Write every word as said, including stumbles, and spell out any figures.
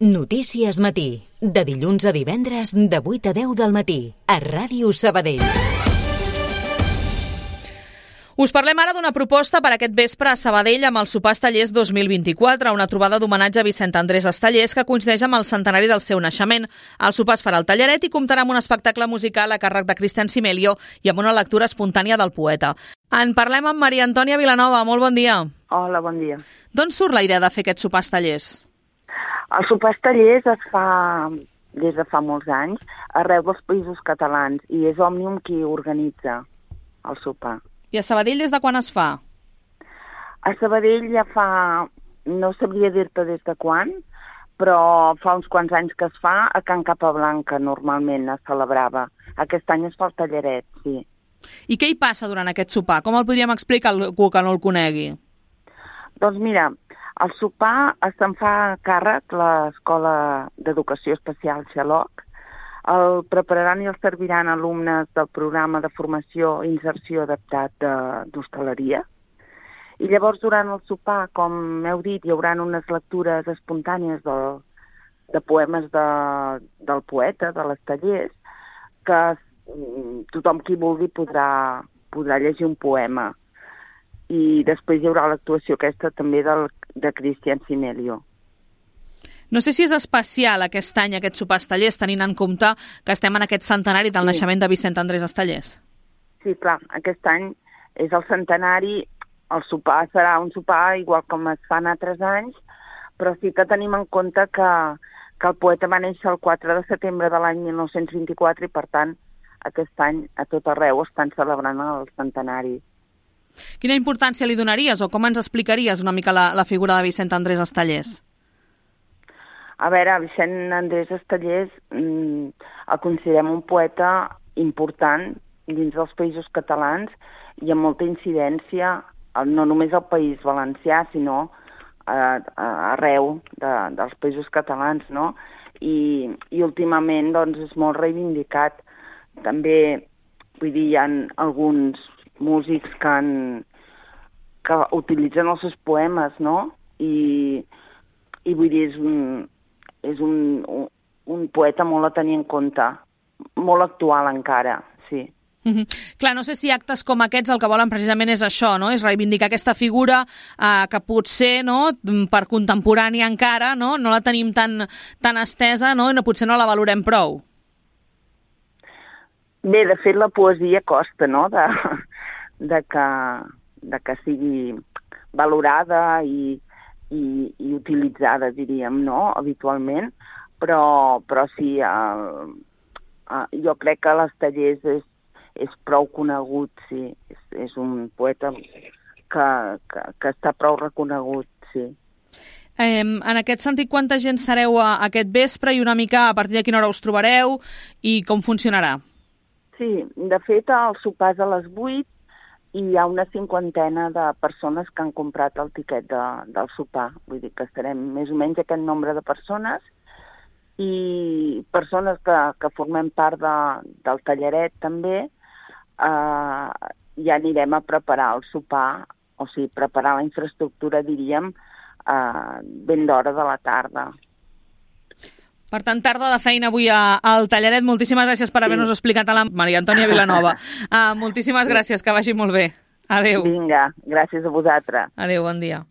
Notícies Matí, de dilluns a divendres de vuit a deu del matí, a Ràdio Sabadell. Us parlem ara d'una proposta per aquest vespre a Sabadell amb el Sopar Estellers dos mil vint-i-quatre, una trobada d'homenatge a Vicent Andrés Estellers que coincideix amb el centenari del seu naixement. El sopar es farà al Talleret i comptarà amb un espectacle musical a càrrec de Cristian Simelio i amb una lectura espontània del poeta. En parlem amb Maria Antònia Vilanova. Molt bon dia. Hola, bon dia. D'on surt la idea de fer aquest Sopar Estellers? El Sopar Estellers es fa des de fa molts anys arreu dels països catalans i és Òmnium qui organitza el sopar. I a Sabadell des de quan es fa? A Sabadell ja fa, no sabria dir-te des de quan, però fa uns quants anys que es fa a Can Capablanca, normalment es celebrava. Aquest any es fa al Talleret, sí. I què hi passa durant aquest sopar? Com el podríem explicar a algú que no el conegui? Doncs mira, el sopar se'n fa càrrec l'Escola d'Educació Especial Xaloc. El prepararan i el serviran alumnes del programa de formació i inserció adaptat d'hostaleria. I llavors, durant el sopar, com heu dit, hi haurà unes lectures espontànies de, de poemes de, del poeta, de l'Estellers, que tothom qui vulgui podrà, podrà llegir un poema. I després hi haurà l'actuació aquesta també del, de Cristian Simelio. No sé si és especial aquest any, aquest Sopar Estellers, tenint en compte que estem en aquest centenari del sí. naixement de Vicent Andrés Estellers. Sí, clar, aquest any és el centenari, el sopar serà un sopar igual com es fan altres anys, però sí que tenim en compte que, que el poeta va néixer el quatre de setembre de l'any mil nou-cents vint-i-quatre i, per tant, aquest any a tot arreu estan celebrant el centenari. Quina importància li donaries o com ens explicaries una mica la, la figura de Vicent Andrés Estellers? A veure, Vicent Andrés Estellers mmm, el considerem un poeta important dins dels països catalans i amb molta incidència, no només al País Valencià, sinó a, a, arreu de, dels països catalans, no? I, i últimament doncs, és molt reivindicat. També, vull dir, hi ha alguns músics que, han, que utilitzen els seus poemes, no? I, i vull dir, és un, és un, un, un poeta molt a tenir en compte, molt actual encara, sí. Mm-hmm. Clar, no sé si actes com aquests el que volen precisament és això, no? És reivindicar aquesta figura eh, que potser, no, per contemporània encara, no, no la tenim tan, tan estesa, no, i no, potser no la valorem prou. Bé, de fet, la poesia costa, no?, de, de, que, de que sigui valorada i, i, i utilitzada, diríem, no?, habitualment, però, però sí, el, el, jo crec que l'Estellers és, és prou conegut, sí, és, és un poeta que, que, que està prou reconegut, sí. Eh, en aquest sentit, quanta gent sereu a, a aquest vespre i una mica a partir de quina hora us trobareu i com funcionarà? Sí, de fet, el sopar és a les vuit i hi ha una cinquantena de persones que han comprat el tiquet de, del sopar. Vull dir que estarem més o menys aquest nombre de persones i persones que, que formem part de, del Talleret també, eh, ja anirem a preparar el sopar, o sigui, preparar la infraestructura, diríem, eh, ben d'hora de la tarda. Per tant, tarda de feina avui al Talleret. Moltíssimes gràcies per haver-nos explicat a la Maria Antònia Vilanova. Uh, moltíssimes gràcies, que vagi molt bé. Adéu. Vinga, gràcies a vosaltres. Adéu, bon dia.